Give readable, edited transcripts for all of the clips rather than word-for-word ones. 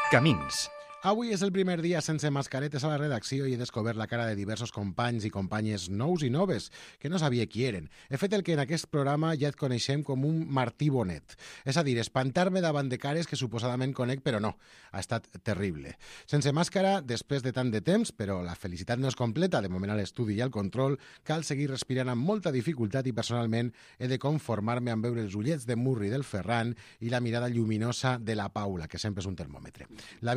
Camins. Avui és el primer dia sense mascaretes a la redacció i he descobert la cara de diversos companys i companyes nous i noves, que no sabia qui eren. He fet el que en aquest programa ja et coneixem com un Martí Bonet. És a dir, espantar-me davant de cares que suposadament conec, però no. Ha estat terrible. Sense màscara, després de tant de temps, però la felicitat no és completa, de moment a l'estudi i al control, cal seguir respirant amb molta dificultat i personalment he de conformar-me amb veure els ullets de Murri del Ferran i la mirada lluminosa de la Paula, que sempre és un termòmetre. La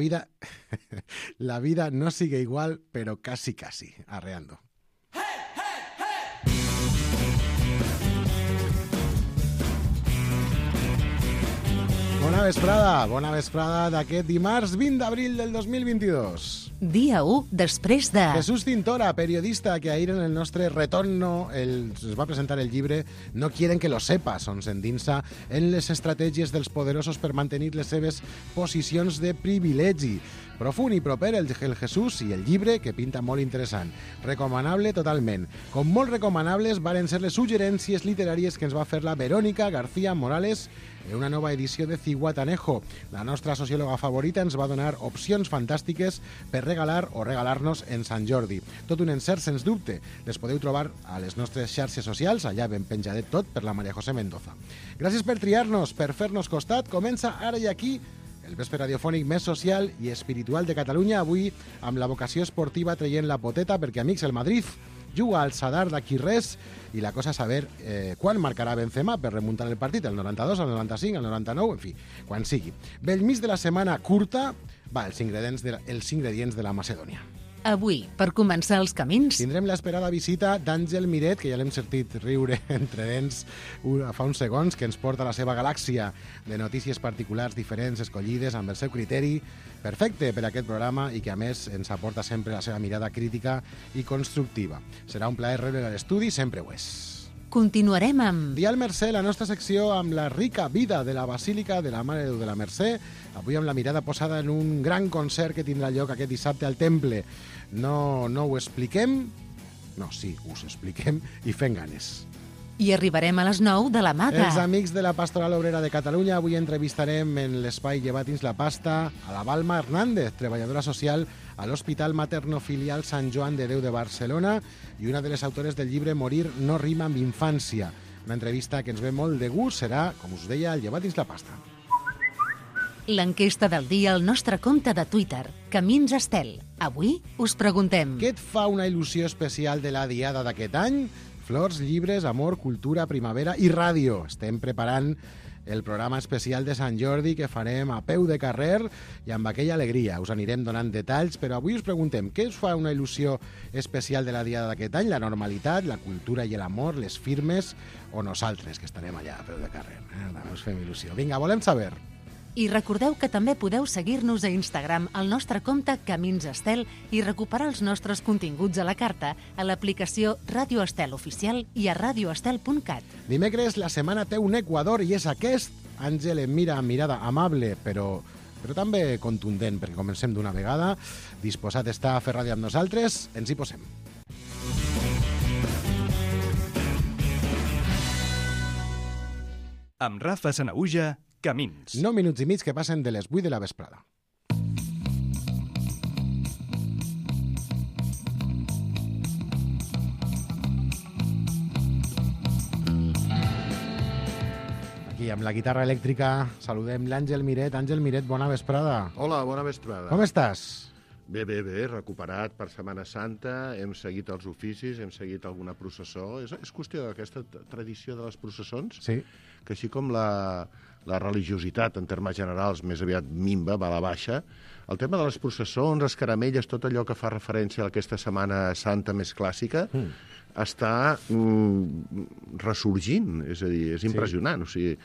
vida no sigue igual, pero casi, arreando. Bona vesprada d'aquest dimarts 20 d'abril del 2022. Dia 1 després de... Jesús Cintora, periodista que ahir en el nostre retorno es va presentar el llibre No quieren que lo sepas, on s'endinsa en les estratègies dels poderosos per mantenir les seves posicions de privilegi. Profund i proper el Jesús i el llibre, que pinta molt interessant. Recomanable totalment. Com molt recomanables varen ser les suggerències literàries que ens va fer la Verónica García Morales en una nova edició de Ciguatanejo. La nostra sociòloga favorita ens va donar opcions fantàstiques per regalar o regalar-nos en Sant Jordi. Tot un encert, sens dubte. Les podeu trobar a les nostres xarxes socials, allà ben penjadet tot per la Maria José Mendoza. Gràcies per triar-nos, per fer-nos costat. Comença ara i aquí el vespre radiofònic més social i espiritual de Catalunya, avui amb la vocació esportiva traient la poteta, perquè, amics, el Madrid juga al Sadar d'aquí res i la cosa és saber quan marcarà Benzema per remuntar el partit, el 92, el 95, el 99, en fi, quan sigui. Bell mig de la setmana curta, els ingredients de la Macedònia. Avui, per començar els camins... Tindrem l'esperada visita d'Àngel Miret, que ja l'hem sentit riure entre dents fa uns segons, que ens porta a la seva galàxia de notícies particulars diferents, escollides, amb el seu criteri perfecte per a aquest programa i que, a més, ens aporta sempre la seva mirada crítica i constructiva. Serà un plaer rebre a l'estudi, sempre ho és. Continuarem amb... Dial Mercè, la nostra secció amb la rica vida de la Basílica de la Mare de Déu de la Mercè, avui amb la mirada posada en un gran concert que tindrà lloc aquest dissabte al Temple. No ho expliquem? No, sí, us expliquem i fem ganes. I arribarem a les 9 de la Maga. Els amics de la Pastoral Obrera de Catalunya, avui entrevistarem en l'espai Llevati'ns la pasta a la Balma Hernández, treballadora social a l'Hospital Materno-Filial Sant Joan de Déu de Barcelona i una de les autores del llibre Morir no rima amb infància. Una entrevista que ens ve molt de gust, serà, com us deia, el Llevati'ns la pasta. L'enquesta del dia al nostre compte de Twitter, Camins Estel. Avui us preguntem... Què et fa una il·lusió especial de la diada d'aquest any? Flors, llibres, amor, cultura, primavera i ràdio. Estem preparant el programa especial de Sant Jordi que farem a peu de carrer i amb aquella alegria. Us anirem donant detalls, però avui us preguntem què us fa una il·lusió especial de la diada d'aquest any? La normalitat, la cultura i l'amor, les firmes o nosaltres, que estarem allà a peu de carrer. Us fem il·lusió. Vinga, volem saber. I recordeu que també podeu seguir-nos a Instagram al nostre compte Camins Estel i recuperar els nostres continguts a la carta a l'aplicació Ràdio Estel Oficial i a radioestel.cat. Dimecres la setmana té un equador i és aquest. Àngel em mira amb mirada amable, però també contundent, perquè comencem d'una vegada. Disposat està a fer ràdio amb nosaltres, ens hi posem. Amb Rafa Sanaüja, Camins. 9 minuts i mig que passen de les 8 de la vesprada. Aquí, amb la guitarra elèctrica, saludem l'Àngel Miret. Àngel Miret, bona vesprada. Hola, bona vesprada. Com estàs? Bé, recuperat per Setmana Santa, hem seguit els oficis, hem seguit alguna processó. És qüestió d'aquesta tradició de les processons, sí, que així com la religiositat, en termes generals, més aviat minva, va a la baixa, el tema de les processons, les caramelles, tot allò que fa referència a aquesta Setmana Santa més clàssica, està ressorgint, és a dir, és impressionant. O sigui,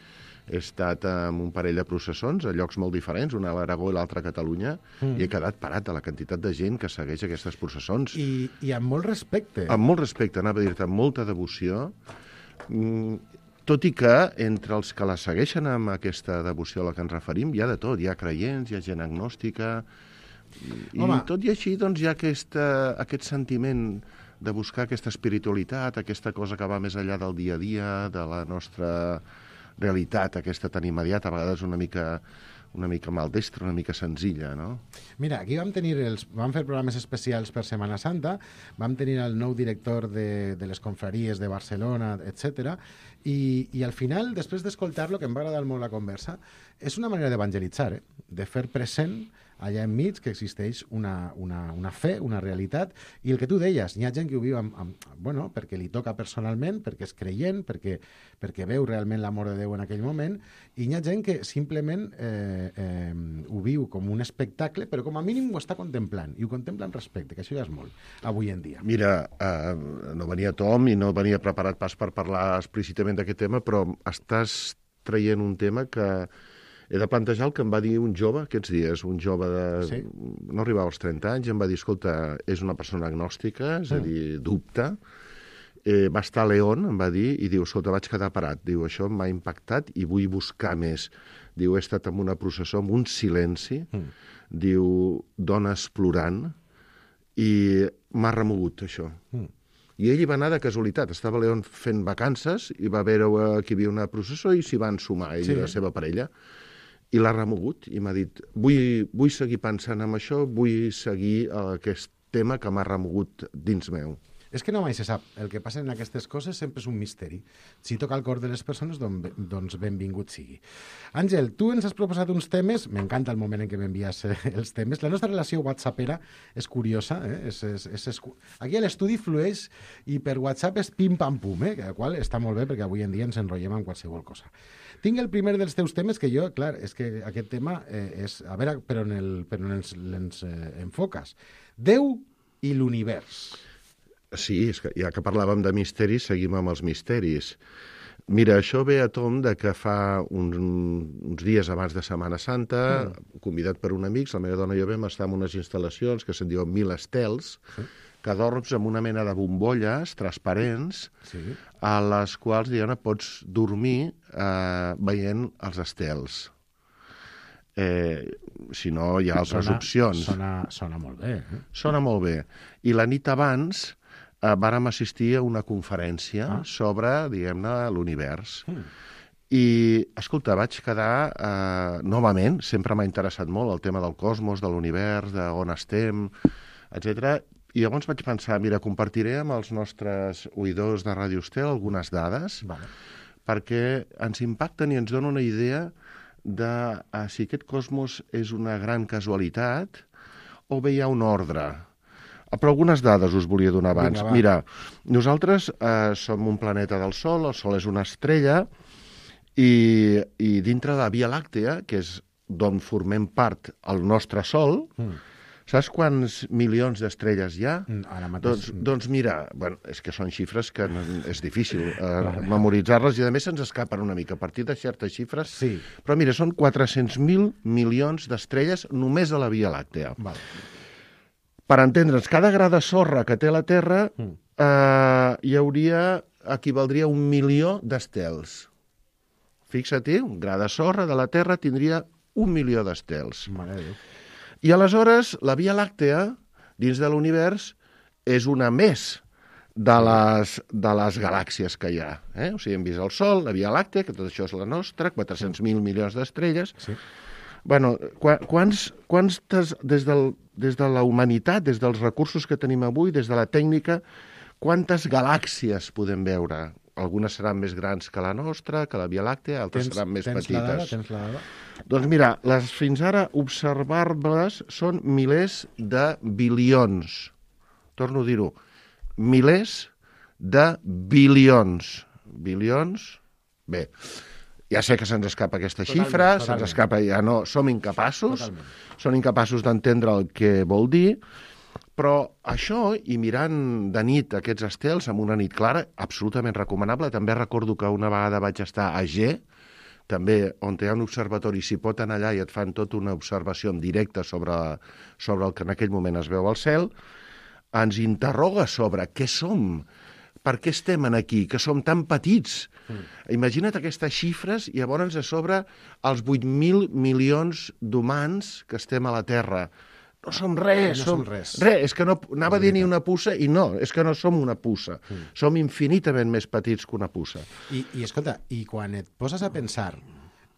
he estat en un parell de processons a llocs molt diferents, una a l'Aragó i l'altra a Catalunya, i he quedat parat de la quantitat de gent que segueix aquestes processons. I amb molt respecte. Amb molt respecte, anava a dir-te, amb molta devoció, tot i que entre els que la segueixen amb aquesta devoció a la que ens referim hi ha de tot, hi ha creients, hi ha gent agnòstica, i tot i així doncs, hi ha aquest sentiment de buscar aquesta espiritualitat, aquesta cosa que va més enllà del dia a dia, de la nostra realitat, aquesta tan immediata, a vegades una mica una mica maldestra, una mica senzilla, no? Mira, aquí vam fer programes especials per Setmana Santa, vam tenir el nou director de les confraries de Barcelona, etc. I al final, després d'escoltar-lo, que em va agradar molt la conversa, és una manera d'evangelitzar, de fer present allà enmig que existeix una fe, una realitat, i el que tu deies, hi ha gent que ho viu bueno, perquè li toca personalment, perquè és creient, perquè veu realment l'amor de Déu en aquell moment, i hi ha gent que simplement ho viu com un espectacle, però com a mínim ho està contemplant, i ho contempla amb respecte, que això ja és molt, avui en dia. Mira, no venia Tom i no venia preparat pas per parlar explícitament d'aquest tema, però estàs traient un tema que he de plantejar el que em va dir un jove aquests dies, un jove de... no arribava als 30 anys, em va dir, escolta, és una persona agnòstica, és a dir, dubta. Va estar a León, em va dir, i diu, escolta, vaig quedar parat. Diu, això m'ha impactat i vull buscar més. Diu, he estat en una processó, amb un silenci, diu, dones plorant, i m'ha remogut, això. I ell hi va anar de casualitat. Estava a León fent vacances i va veure que hi havia una processó i s'hi van sumar, ell i la seva parella. I l'ha remogut i m'ha dit, vull seguir pensant en això, vull seguir aquest tema que m'ha remogut dins meu. És que no mai se sap. El que passa en aquestes coses sempre és un misteri. Si toca el cor de les persones, doncs benvingut sigui. Àngel, tu ens has proposat uns temes, m'encanta el moment en què m'envies els temes. La nostra relació whatsappera és curiosa. Aquí l'estudi flueix i per WhatsApp és pim-pam-pum, el qual està molt bé perquè avui en dia ens enrotllem en qualsevol cosa. Tinc el primer dels teus temes que jo, clar, és que aquest tema és... A veure, per on l'ens enfoques. Déu i l'univers. Sí, és que ja que parlàvem de misteris, seguim amb els misteris. Mira, això ve a tom de que fa uns dies abans de Setmana Santa, convidat per un amic, la meva dona i jo vam estar en unes instal·lacions que se'n diuen 1000 estels, que dorms amb una mena de bombolles transparents, a les quals, diguem-ne, pots dormir veient els estels. Si no, hi ha altres opcions. Sona molt bé. Sona molt bé. I la nit abans vàrem assistir a una conferència sobre, diguem-ne, l'univers. I, escolta, vaig quedar, novament, sempre m'ha interessat molt el tema del cosmos, de l'univers, d'on estem, etc. I llavors vaig pensar, mira, compartiré amb els nostres oïdors de Ràdio Estel algunes dades, perquè ens impacten i ens donen una idea de si aquest cosmos és una gran casualitat o bé hi ha un ordre. Però algunes dades us volia donar abans. Mira, nosaltres som un planeta del Sol, el Sol és una estrella, i dintre de la Via Làctea, que és d'on formem part el nostre Sol, saps quants milions d'estrelles hi ha? Ara mateix. Doncs mira, bueno, és que són xifres que és difícil memoritzar-les i a més se'ns escapen una mica a partir de certes xifres. Sí. Però mira, són 400.000 milions d'estrelles només a la Via Làctea. Per entendre'ns, cada gra de sorra que té la Terra equivaldria a 1 milió d'estels. Fixa-t'hi, un gra de sorra de la Terra tindria 1 milió d'estels. Mare de Déu. I aleshores, la Via Làctea, dins de l'univers, és una més de les galàxies que hi ha. O sigui, hem vist el Sol, la Via Làctea, que tot això és la nostra, 400.000 milions d'estrelles. Sí. Bueno, des de la humanitat, des dels recursos que tenim avui, des de la tècnica, quantes galàxies podem veure? Algunes seran més grans que la nostra, que la Via Làctea, altres seran més petites. Tens la dada? Doncs mira, les fins ara observables són milers de bilions. Torno a dir-ho, milers de bilions. Bilions? Bé, ja sé que se'ns escapa aquesta xifra, se'ns escapa, ja no, som incapaços, són incapaços d'entendre el que vol dir, però això, i mirant de nit aquests estels, amb una nit clara, absolutament recomanable. També recordo que una vegada vaig estar a G, també on hi ha un observatori, s'hi pot anar allà i et fan tota una observació en directe sobre el que en aquell moment es veu al cel, ens interroga sobre què som, per què estem aquí, que som tan petits. Imagina't aquestes xifres i llavors a sobre els 8.000 milions d'humans que estem a la Terra. No som res. No som res. Res, és que no, anava a dir ni una puça, i no, és que no som una puça. Som infinitament més petits que una puça. I escolta, i quan et poses a pensar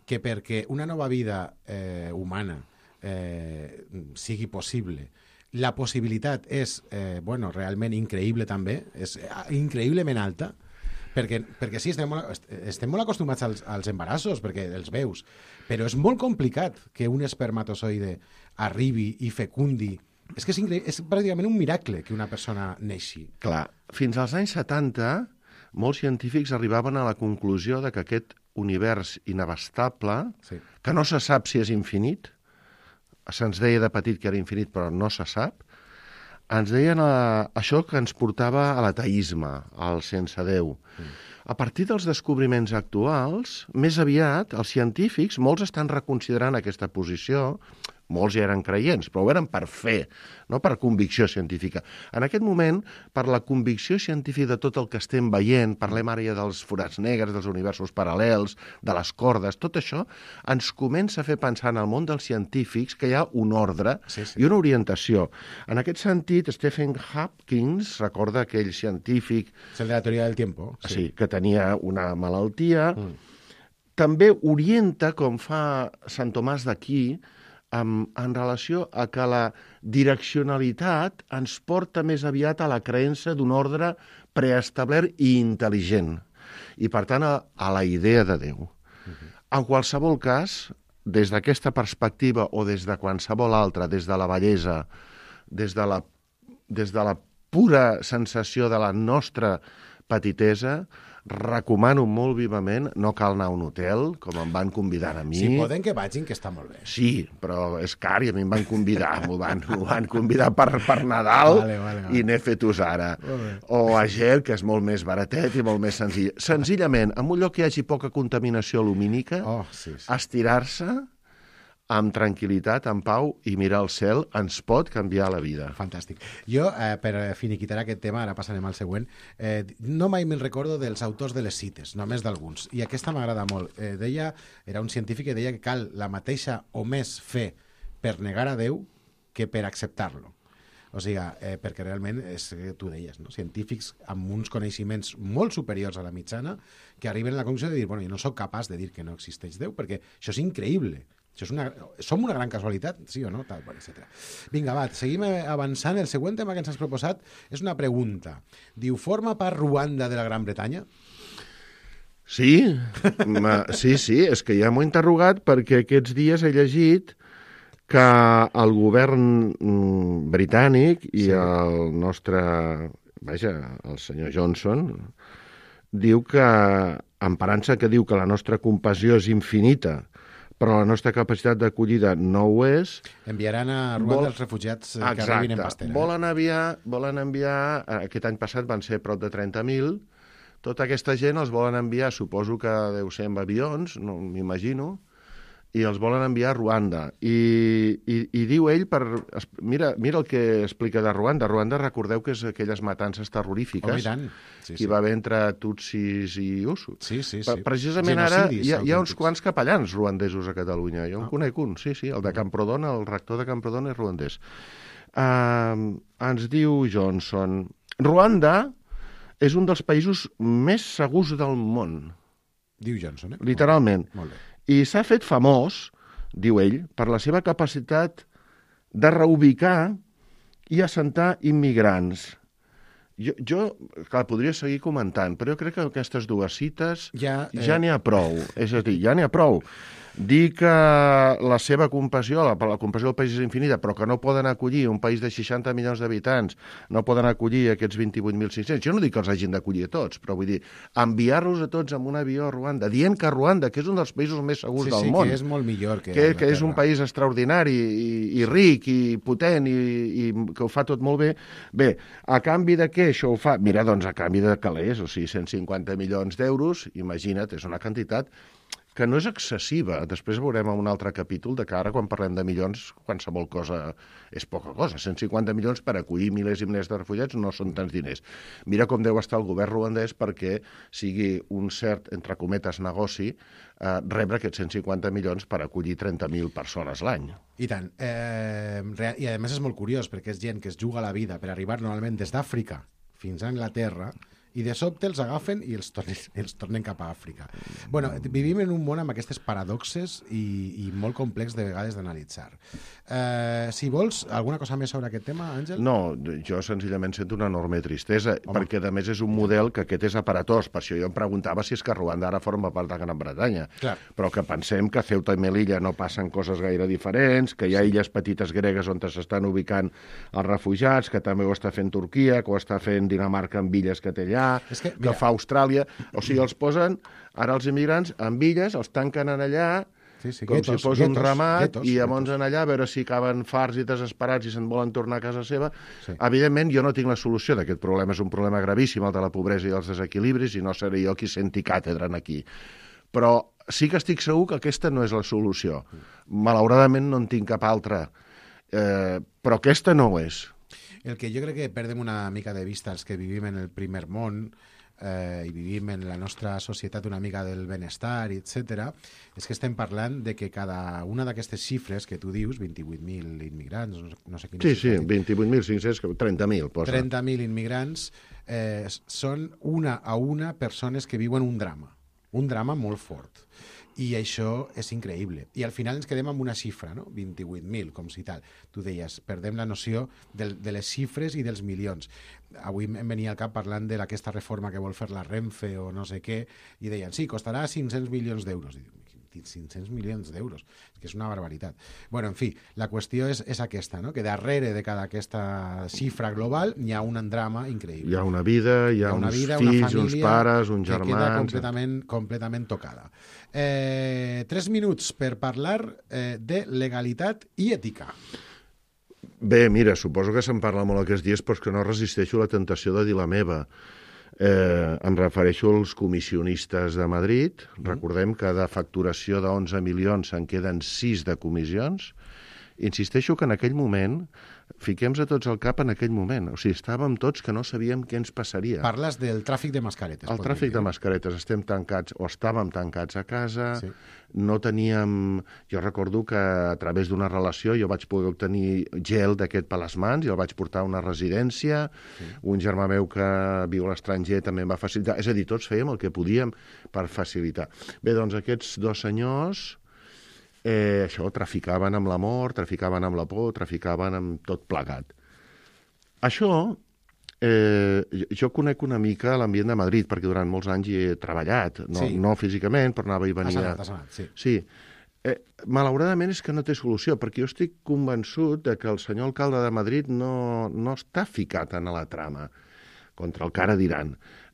que perquè una nova vida humana sigui possible, la possibilitat és realment increïble també, és increïblement alta, perquè sí, estem molt acostumats als embarassos, perquè els veus, però és molt complicat que un espermatozoide arribi i fecundi. És que és pràcticament un miracle que una persona neixi. Clar, fins als anys 70, molts científics arribaven a la conclusió de que aquest univers inabastable, que no se sap si és infinit, se'ns deia de petit que era infinit, però no se sap, ens deien això que ens portava a l'ateisme, al sense Déu. A partir dels descobriments actuals, més aviat, els científics, molts estan reconsiderant aquesta posició, molts ja eren creients, però ho eren per fe, no per convicció científica. En aquest moment, per la convicció científica de tot el que estem veient, parlem ara ja dels forats negres, dels universos paral·lels, de les cordes, tot això ens comença a fer pensar en el món dels científics que hi ha un ordre i una orientació. En aquest sentit, Stephen Hopkins, recorda aquell científic... És el de la teoria del tiempo. Sí, que tenia una malaltia, també orienta, com fa Sant Tomàs d'Aquí, en relació a que la direccionalitat ens porta més aviat a la creença d'un ordre preestablert i intel·ligent, i per tant a la idea de Déu. En qualsevol cas, des d'aquesta perspectiva o des de qualsevol altra, des de la bellesa, des de la pura sensació de la nostra petitesa, recomano molt vivament, no cal anar a un hotel, com em van convidar a mi. Si poden que vagin, que està molt bé. Sí, però és car i a mi em van convidar, m'ho van convidar per Nadal i n'he fet-us ara. O a Ger, que és molt més baratet i molt més senzill. Senzillament, en un lloc que hi hagi poca contaminació lumínica, estirar-se amb tranquil·litat, en pau, i mirar el cel ens pot canviar la vida. Fantàstic. Jo, per finiquitar aquest tema, ara passarem al següent, no mai me'n recordo dels autors de les cites, només d'alguns, i aquesta m'agrada molt. Era un científic que deia que cal la mateixa o més fe per negar a Déu que per acceptar-lo. O sigui, perquè realment, tu deies, no? Científics amb uns coneixements molt superiors a la mitjana que arriben a la conclusió de dir, bueno, jo no sóc capaç de dir que no existeix Déu, perquè això és increïble. Som una gran casualitat, sí o no? Tal, etc. Vinga, va, seguim avançant. El següent tema que ens has proposat és una pregunta. Diu, forma part Ruanda de la Gran Bretanya? Sí, és que ja m'ho he interrogat perquè aquests dies he llegit que el govern britànic i el nostre, el senyor Johnson, diu que, emparant-se que diu que la nostra compassió és infinita, però la nostra capacitat d'acollida no ho és. Enviaran a Ruanda els refugiats que arribin en pastera. Volen enviar, aquest any passat van ser prop de 30.000, tota aquesta gent els volen enviar, suposo que deu ser amb avions, no m'imagino, i els volen enviar a Ruanda. I diu ell, mira el que explica de Ruanda. Ruanda, recordeu que és aquelles matances terrorífiques que hi va haver entre tutsis i Hutus. Sí. Precisament ara hi ha uns quants capellans ruandesos a Catalunya. Jo en conec un, sí, el de Camprodon, el rector de Camprodon és ruandès. Ens diu Johnson, Ruanda és un dels països més segurs del món. Diu Johnson, Literalment. Molt bé. I s'ha fet famós, diu ell, per la seva capacitat de reubicar i assentar immigrants. Jo clar, podria seguir comentant, però jo crec que aquestes dues cites ja n'hi ha prou. És a dir, ja n'hi ha prou. Dir que la seva compassió, la compassió del país és infinita, però que no poden acollir un país de 60 milions d'habitants, no poden acollir aquests 28.500. Jo no dic que els hagin d'acollir a tots, però vull dir, enviar-los a tots amb un avió a Ruanda, dient que Ruanda, que és un dels països més segurs del món, que és molt millor que és un país extraordinari i ric i potent i que ho fa tot molt bé. Bé, a canvi de què això ho fa? Mira, doncs a canvi de calés, o sigui, 150 milions d'euros, imagina't, és una quantitat que no és excessiva. Després veurem en un altre capítol de que ara, quan parlem de milions, qualsevol cosa és poca cosa. 150 milions per acollir milers i milers de refugiats no són tants diners. Mira com deu estar el govern ruandès perquè sigui un cert, entre cometes, negoci rebre aquests 150 milions per acollir 30.000 persones l'any. I tant. I a més és molt curiós perquè és gent que es juga la vida per arribar normalment des d'Àfrica fins a Anglaterra i de sobte els agafen i els tornen cap a Àfrica. Bueno, vivim en un món amb aquestes paradoxes i molt complex de vegades d'analitzar. Si vols, alguna cosa més sobre aquest tema, Àngel? No, jo senzillament sento una enorme tristesa, perquè a més és un model que aquest és aparatós. Per això jo em preguntava si és que Ruanda ara forma part de Gran Bretanya. Clar. Però que pensem que a Ceuta i Melilla no passen coses gaire diferents, que hi ha illes petites gregues on s'estan ubicant els refugiats, que també ho està fent Turquia, que ho està fent Dinamarca amb illes que té allà, que fa Austràlia. O sigui, els posen, ara els immigrants, amb illes, els tanquen en allà, com si fos un ramat, i llavors en allà a veure si acaben farts i desesperats i se'n volen tornar a casa seva. Evidentment, jo no tinc la solució d'aquest problema. És un problema gravíssim, el de la pobresa i els desequilibris, i no seré jo qui senti càtedra aquí. Però sí que estic segur que aquesta no és la solució. Malauradament no en tinc cap altra. Però aquesta no ho és. El que jo crec que perdem una mica de vista els que vivim en el primer món i vivim en la nostra societat una mica del benestar, etc., és que estem parlant de que cada una d'aquestes xifres que tu dius, 28.000 immigrants, no sé quines... Sí, 28.500, 30.000, posa. 30.000 immigrants són una a una persones que viuen un drama molt fort. I això és increïble. I al final ens quedem amb una xifra, no? 28.000, com si tal. Tu deies, perdem la noció de les xifres i dels milions. Avui em venia al cap parlant d'aquesta reforma que vol fer la Renfe o no sé què, i deien, sí, costarà 500 milions d'euros. I dic, 500 milions d'euros, que és una barbaritat. Bueno, en fi, la qüestió és aquesta, no? Que darrere de cada aquesta xifra global hi ha un drama increïble. Hi ha una vida, hi ha uns fills, uns pares, uns germans... Que queda completament tocada. 3 minuts per parlar de legalitat i ètica. Bé, mira, suposo que se'n parla molt aquests dies, però és que no resisteixo la tentació de dir la meva. Em refereixo als comissionistes de Madrid. Recordem que de facturació de 11 milions se'n queden 6 de comissions. Insisteixo que en aquell moment, fiquem-nos a tots al cap en aquell moment. O sigui, estàvem tots que no sabíem què ens passaria. Parles del tràfic de mascaretes. El tràfic de mascaretes. Estem tancats, o estàvem tancats a casa, no teníem... Jo recordo que a través d'una relació jo vaig poder obtenir gel d'aquest per les mans i el vaig portar a una residència. Un germà meu que viu a l'estranger també em va facilitar. És a dir, tots fèiem el que podíem per facilitar. Bé, doncs aquests dos senyors... això, traficaven amb l'amor, traficaven amb la por, traficaven amb tot plegat. Això, jo conec una mica l'ambient de Madrid, perquè durant molts anys hi he treballat, no físicament, però anava i venia... Has anat, sí. Sí. Malauradament és que no té solució, perquè jo estic convençut de que el senyor alcalde de Madrid no està ficat en la trama contra el que ara diran.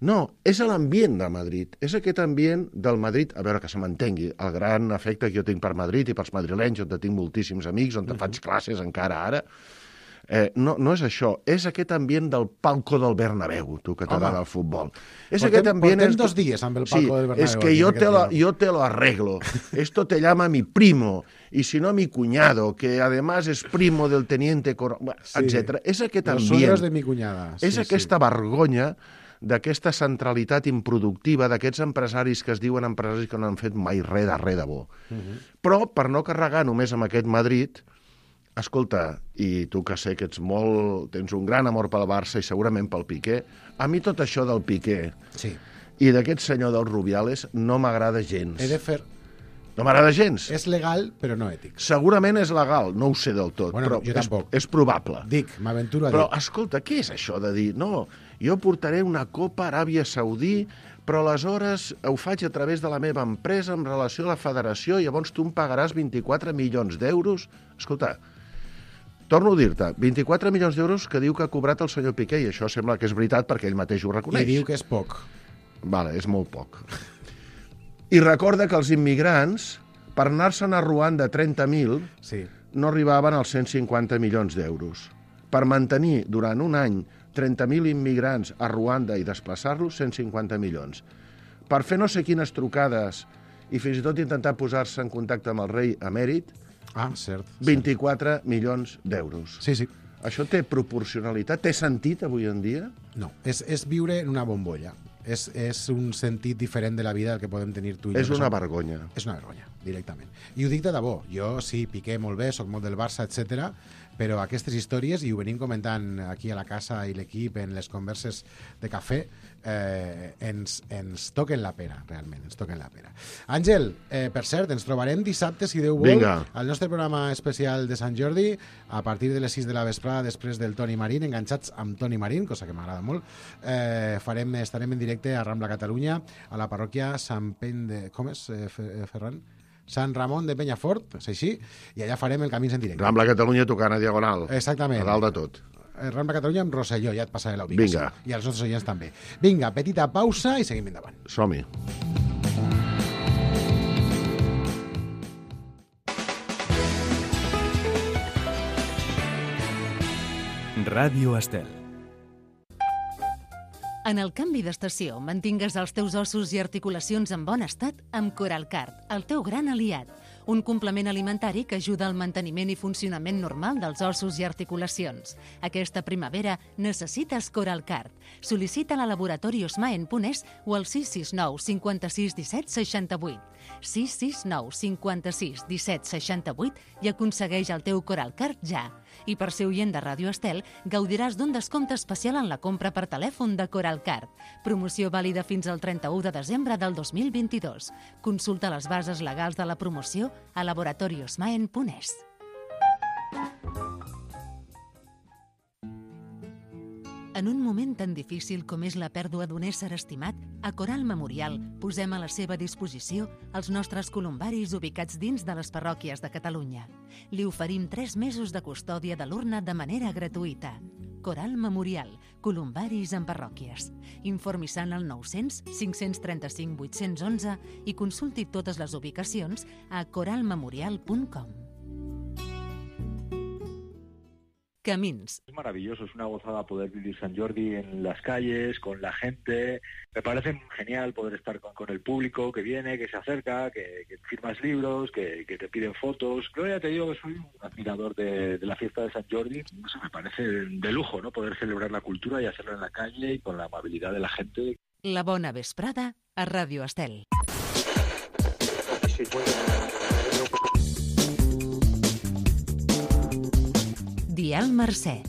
No, és l'ambient de Madrid, és aquest ambient del Madrid, a veure que se m'entengui, el gran efecte que jo tinc per Madrid i pels madrilenys, on tinc moltíssims amics, on faig classes encara ara, no és això, és aquest ambient del palco del Bernabéu, tu que t'agrada el futbol. Portem 2 dies amb el palco del Bernabéu. Es que yo te lo arreglo, esto te llama mi primo, y si no mi cuñado, que además es primo del teniente coronel, etc. És aquest ambient. Los suegros de mi cuñada. És aquesta vergonya d'aquesta centralitat improductiva, d'aquests empresaris que es diuen empresaris que no han fet mai res de bo. Però, per no carregar només amb aquest Madrid, escolta, i tu que sé que tens un gran amor pel Barça i segurament pel Piqué, a mi tot això del Piqué i d'aquest senyor del Rubiales no m'agrada gens. No m'agrada gens. És legal, però no ètic. Segurament és legal, no ho sé del tot, però és probable. M'aventuro a dir. Però, escolta, què és això de dir, no, jo portaré una copa a Aràbia Saudí, però aleshores ho faig a través de la meva empresa en relació a la federació i llavors tu em pagaràs 24 milions d'euros? Escolta, torno a dir-te, 24 milions d'euros que diu que ha cobrat el senyor Piqué, i això sembla que és veritat perquè ell mateix ho reconeix. I diu que és poc. Vale, és molt poc. I recorda que els immigrants, per anar-se'n a Ruanda 30.000, no arribaven als 150 milions d'euros. Per mantenir durant un any 30.000 immigrants a Ruanda i desplaçar-los, 150 milions. Per fer no sé quines trucades i fins i tot intentar posar-se en contacte amb el rei emèrit, 24 milions d'euros. Sí. Això té proporcionalitat? Té sentit avui en dia? No, és viure en una bombolla. És un sentit diferent de la vida del que podem tenir tu i jo. És una vergonya. És una vergonya. directament. I ho dic de debò. Jo sí, Piqué molt bé, soc molt del Barça, etc. Però aquestes històries, i ho venim comentant aquí a la casa i l'equip en les converses de cafè, ens toquen la pera, realment, ens toquen la pera. Àngel, per cert, ens trobarem dissabte, si Déu vol, Vinga. al nostre programa especial de Sant Jordi, a partir de les 6 de la vesprada, després del Toni Marín, enganxats amb Toni Marín, cosa que m'agrada molt. Estarem en directe a Rambla Catalunya, a la parròquia Sant Pen de... Com és, Ferran? Sant Ramon de Penyafort, és així, i allà farem el Camins en directe. Rambla Catalunya tocant a Diagonal. Exactament. A dalt de tot. Rambla Catalunya amb Rosselló, ja et passaré la ubicació. Vinga. I als nostres oients també. Vinga, petita pausa i seguim endavant. Som-hi. Ràdio Estel. En el canvi d'estació, mantingues els teus ossos i articulacions en bon estat amb Coralcard, el teu gran aliat. Un complement alimentari que ajuda al manteniment i funcionament normal dels ossos i articulacions. Aquesta primavera necessites Coralcard. Sol·licita-la a Laboratori Osmaen.es o al 669 56 17 68. 669 56 17 68 i aconsegueix el teu Coralcard ja. I per ser oient de Ràdio Estel, gaudiràs d'un descompte especial en la compra per telèfon de Coralcard. Promoció vàlida fins al 31 de desembre del 2022. Consulta les bases legals de la promoció a laboratoriosmaen.es. En un moment tan difícil com és la pèrdua d'un ésser estimat, a Coral Memorial posem a la seva disposició els nostres columbaris ubicats dins de les parròquies de Catalunya. Li oferim 3 mesos de custòdia de l'urna de manera gratuïta. Coral Memorial, columbaris en parròquies. Informi-se'n al 900 535 811 i consulti totes les ubicacions a coralmemorial.com. Camins. Es maravilloso, es una gozada poder vivir San Jordi en las calles, con la gente. Me parece genial poder estar con el público que viene, que se acerca, que firmas libros, que te piden fotos. Yo ya te digo que soy un admirador de la fiesta de San Jordi. Eso me parece de lujo, ¿no? Poder celebrar la cultura y hacerlo en la calle y con la amabilidad de la gente. La bona vesprada a Ràdio Estel. Dial Mercè.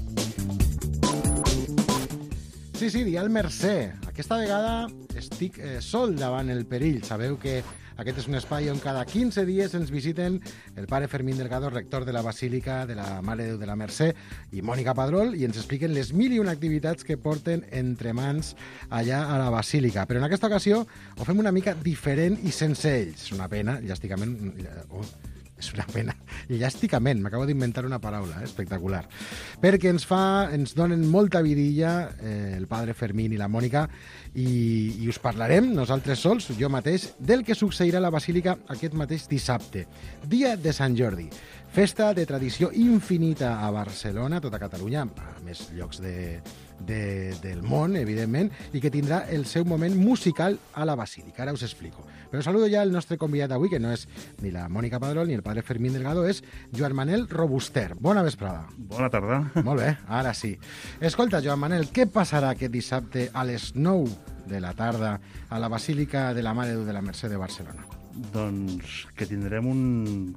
Sí, Dial Mercè. Aquesta vegada estic sol davant el perill. Sabeu que aquest és un espai on cada 15 dies ens visiten el pare Fermín Delgado, rector de la Basílica de la Mare de Déu de la Mercè, i Mònica Padrol, i ens expliquen les 1001 activitats que porten entre mans allà a la Basílica. Però en aquesta ocasió ho fem una mica diferent i sense ells. És una pena, llàsticament... És una pena. Llàsticament, m'acabo d'inventar una paraula, espectacular. Perquè ens donen molta vidilla el padre Fermín i la Mònica i us parlarem, nosaltres sols, jo mateix, del que succeirà a la Basílica aquest mateix dissabte, dia de Sant Jordi. Festa de tradició infinita a Barcelona, tota Catalunya, a més llocs del món, evidentment, i que tindrà el seu moment musical a la Basílica. Ara us explico. Però saludo ja el nostre convidat d'avui, que no és ni la Mònica Padrol ni el padre Fermín Delgado, és Joan Manel Robuster. Bona vesprada. Bona tarda. Molt bé, ara sí. Escolta, Joan Manel, què passarà aquest dissabte a les 9 de la tarda a la Basílica de la Mare de Déu de la Mercè de Barcelona? Doncs que tindrem un,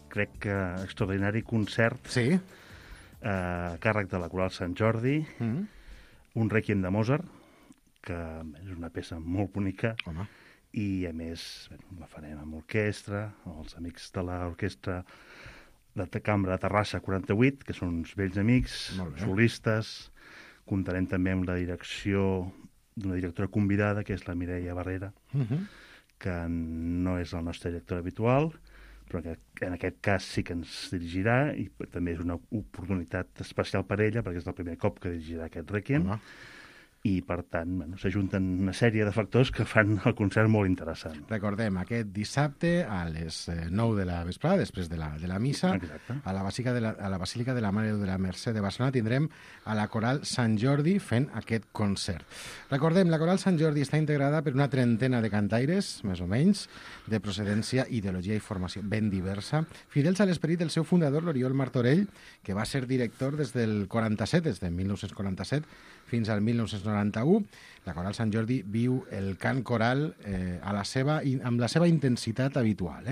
crec que extraordinari concert a càrrec de la Coral Sant Jordi, un Rèquiem de Mozart, que és una peça molt bonica, i a més la farem amb orquestra, els amics de l'orquestra de Cambra de Terrassa 48, que són uns vells amics, solistes. Comptarem també amb la direcció d'una directora convidada, que és la Mireia Barrera, que no és la nostra directora habitual, però que en aquest cas sí que ens dirigirà, i també és una oportunitat especial per ella, perquè és el primer cop que dirigirà aquest Rèquiem, i per tant s'ajunten una sèrie de factors que fan el concert molt interessant. Recordem, aquest dissabte a les 9 de la vesprada, després de la missa, a la Basílica de la Mare de Déu de la Mercè de Barcelona tindrem a la Coral Sant Jordi fent aquest concert. Recordem, la Coral Sant Jordi està integrada per una trentena de cantaires, més o menys, de procedència, ideologia i formació ben diversa, fidels a l'esperit del seu fundador, l'Oriol Martorell, que va ser director des del 47, des de 1947, fins al 1997, 1991. La Coral Sant Jordi viu el cant coral amb la seva intensitat habitual,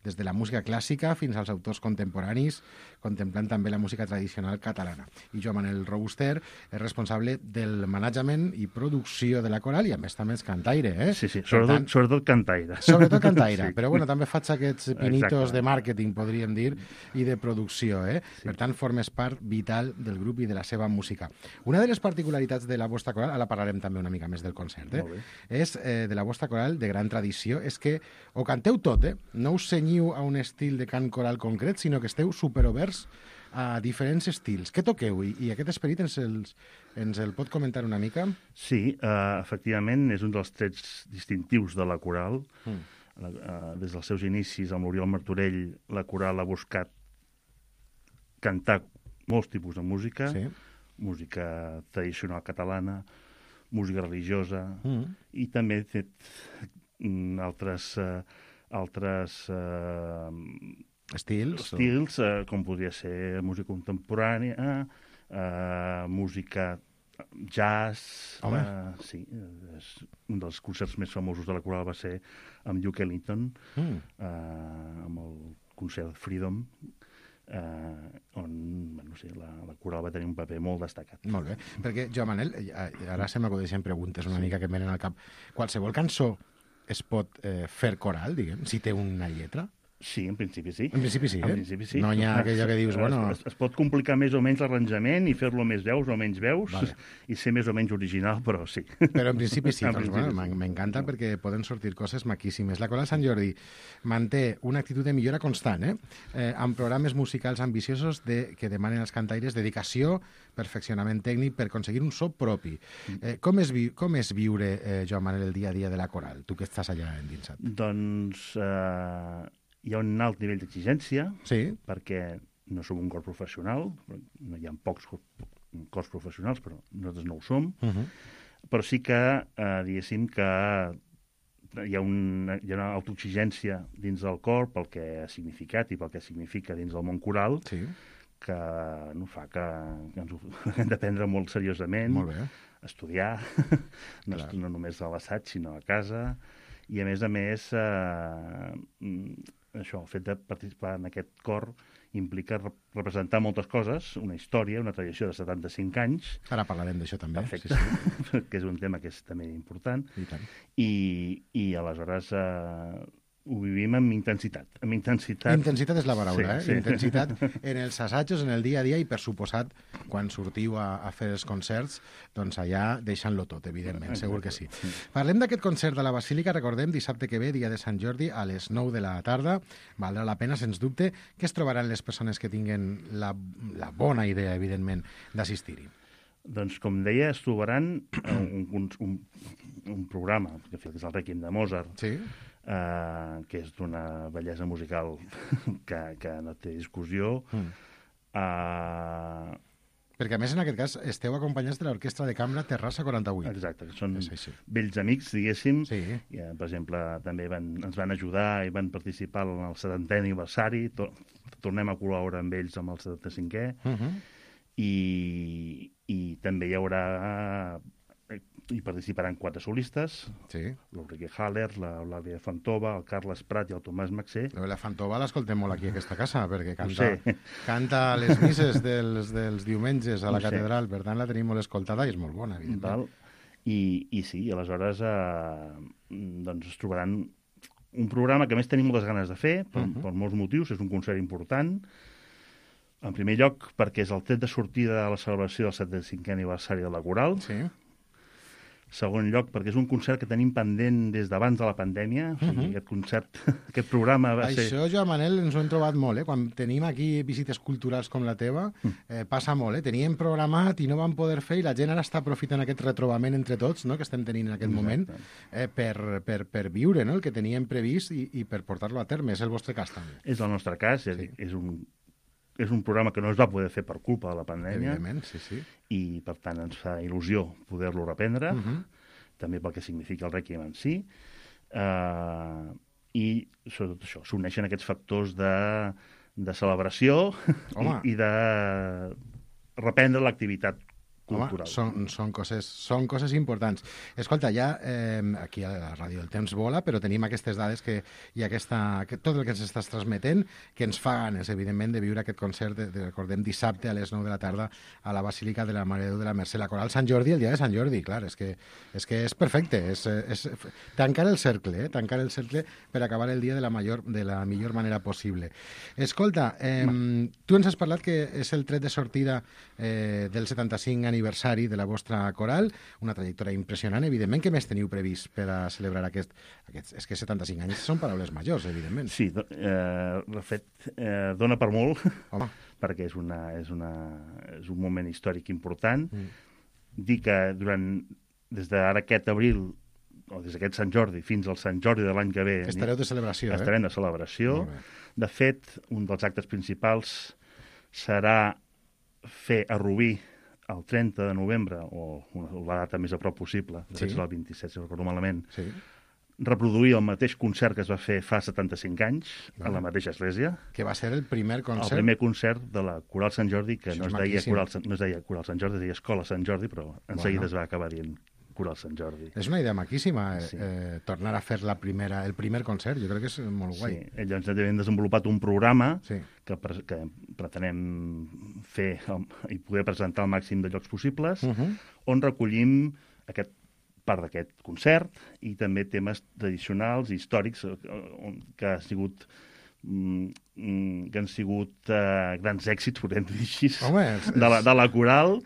des de la música clàssica fins als autors contemporanis, contemplant també la música tradicional catalana. I Joan Manel Robuster és responsable del management i producció de la coral i a més també és cantaire. Sí, sobretot cantaire. Sobretot cantaire, però bueno, també faig aquests pinitos de màrqueting, podríem dir, i de producció. Per tant, formes part vital del grup i de la seva música. Una de les particularitats de la vostra coral, ara parlarem també una mica més del concert, és de la vostra coral de gran tradició, és que ho canteu tot, no us cenyiu a un estil de cant coral concret, sinó que esteu superoberts a diferents estils. Què toqueu? I aquest esperit ens el pot comentar una mica? Sí, efectivament, és un dels trets distintius de la coral. Des dels seus inicis amb l'Oriol Martorell, la coral ha buscat cantar molts tipus de música, música tradicional catalana, música religiosa, i també he fet altres estils, com podria ser música contemporània, música jazz. Sí, un dels concerts més famosos de la coral va ser amb Duke Ellington, amb el concert Freedom, on la coral va tenir un paper molt destacat. Molt bé, perquè, Joan Manel, ara se m'acudeixen preguntes una mica que em venen al cap. Qualsevol cançó es pot fer coral, diguem, si té una lletra? Sí, en principi sí. En principi sí, En principi sí. No hi ha aquella que dius, bueno... Es pot complicar més o menys l'arranjament i fer-lo més veus o menys veus, i ser més o menys original, però sí. Però en principi sí, doncs bueno, m'encanta perquè poden sortir coses maquíssimes. La Coral Sant Jordi manté una actitud de millora constant, amb programes musicals ambiciosos que demanen als cantaires dedicació, perfeccionament tècnic per aconseguir un so propi. Com és viure, Joan Manel, el dia a dia de la Coral, tu que estàs allà endinsat? Doncs hi ha un alt nivell d'exigència, perquè no som un cor professional, hi ha pocs cors professionals, però nosaltres no ho som, però sí que, diguéssim, que hi ha una autoexigència dins del cor pel que ha significat i pel que significa dins del món coral, que fa que ens ho hem de prendre molt seriosament, estudiar, no només a l'assaig, sinó a casa, i a més, això, el fet de participar en aquest cor implica representar moltes coses, una història, una tradició de 75 anys. Ara parlarem d'això també. Perfecte, que és un tema que és també important. I aleshores ho vivim amb intensitat. Intensitat és la paraula, Intensitat en els assajos, en el dia a dia, i per suposat, quan sortiu a fer els concerts, doncs allà deixant-lo tot, evidentment, segur que sí. Parlem d'aquest concert de la Basílica, recordem, dissabte que ve, dia de Sant Jordi, a les 9 de la tarda. Valdrà la pena, sens dubte. Què es trobaran les persones que tinguen la bona idea, evidentment, d'assistir-hi? Doncs, com deia, es trobaran un programa, que és el Rèquiem de Mozart, que és d'una bellesa musical que no té discussió. Perquè, a més, en aquest cas, esteu acompanyats de l'Orquestra de Cambra Terrassa 48. Exacte, que són vells amics, diguéssim. Per exemple, també ens van ajudar i van participar en el 70è aniversari. Tornem a col·laborar amb ells amb el 75è. I també hi haurà... Hi participaran 4 solistes, l'Ulrike Haller, l'Eulàlia Fantova, el Carles Prat i el Tomàs Maxé. La Fantova l'escoltem molt aquí a aquesta casa, perquè canta a les misses dels diumenges a la catedral, per tant la tenim molt escoltada i és molt bona, evidentment. I sí, aleshores es trobaran un programa que a més tenim moltes ganes de fer, per molts motius, és un concert important. En primer lloc, perquè és el tret de sortida de la celebració del 75è aniversari de la Coral. Segon lloc, perquè és un concert que tenim pendent des d'abans de la pandèmia. Aquest concert, aquest programa va ser... Això, Joan Manel, ens ho hem trobat molt, Quan tenim aquí visites culturals com la teva, passa molt, Teníem programat i no vam poder fer, i la gent ara està aprofitant aquest retrobament entre tots, que estem tenint en aquest moment, per viure el que teníem previst i per portar-lo a terme. És el vostre cas, també. És el nostre cas, és un programa que no es va poder fer per culpa de la pandèmia. Evidentment, sí. I, per tant, ens fa il·lusió poder-lo reprendre, també pel que significa el Rèquiem en si. I, sobretot això, s'uneixen aquests factors de celebració i de reprendre l'activitat cultural. Són coses importants. Escolta, ja aquí a la ràdio el temps vola, però tenim aquestes dades que hi ha tot el que ens estàs transmetent, que ens fa ganes, evidentment, de viure aquest concert, recordem, dissabte a les 9 de la tarda a la Basílica de la Mare de Déu de la Mercè, la Coral Sant Jordi, el dia de Sant Jordi, clar, és que és perfecte, és tancar el cercle per acabar el dia de la millor manera possible. Escolta, tu ens has parlat que és el tret de sortida del 75 aniversari de la vostra coral, una trajectòria impressionant, evidentment. Què més teniu previst per a celebrar aquest... És que 75 anys són paraules majors, evidentment. Sí, de fet, dona per molt, perquè és un moment històric important. Dir que des d'ara aquest abril, o des d'aquest Sant Jordi fins al Sant Jordi de l'any que ve... Estareu de celebració, Estarem de celebració. De fet, un dels actes principals serà fer a Rubí el 30 de novembre, o la data més a prop possible, de fet és el 27, si no recordo malament, reproduir el mateix concert que es va fer fa 75 anys a la mateixa església. Que va ser el primer concert? El primer concert de la Coral Sant Jordi, que no es deia Coral Sant Jordi, es deia Escola Sant Jordi, però en seguida es va acabar dient Coral Sant Jordi. És una idea maquíssima, tornar a fer el primer concert, jo crec que és molt guai. Sí, llavors hem desenvolupat un programa que pretenem fer i poder presentar al màxim de llocs possibles, on recollim part d'aquest concert i també temes tradicionals i històrics que han sigut grans èxits, podem dir així, de la coral,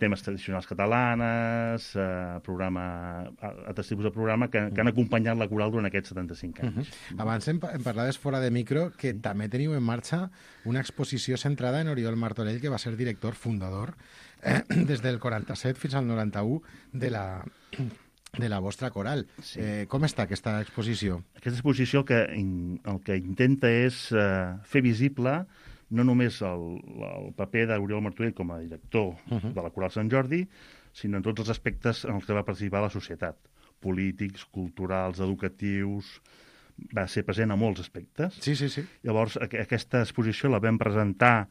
temes tradicionals catalanes, altres tipus de programa que han acompanyat la coral durant aquests 75 anys. Abans em parlaves fora de micro que també teniu en marxa una exposició centrada en Oriol Martorell, que va ser director fundador des del 47 fins al 91 de la vostra coral. Com està aquesta exposició? Aquesta exposició el que intenta és fer visible no només el paper d'Oriol Martorell com a director de la Coral Sant Jordi, sinó en tots els aspectes en els que va participar la societat, polítics, culturals, educatius. Va ser present a molts aspectes. Sí. Llavors, aquesta exposició la vam presentar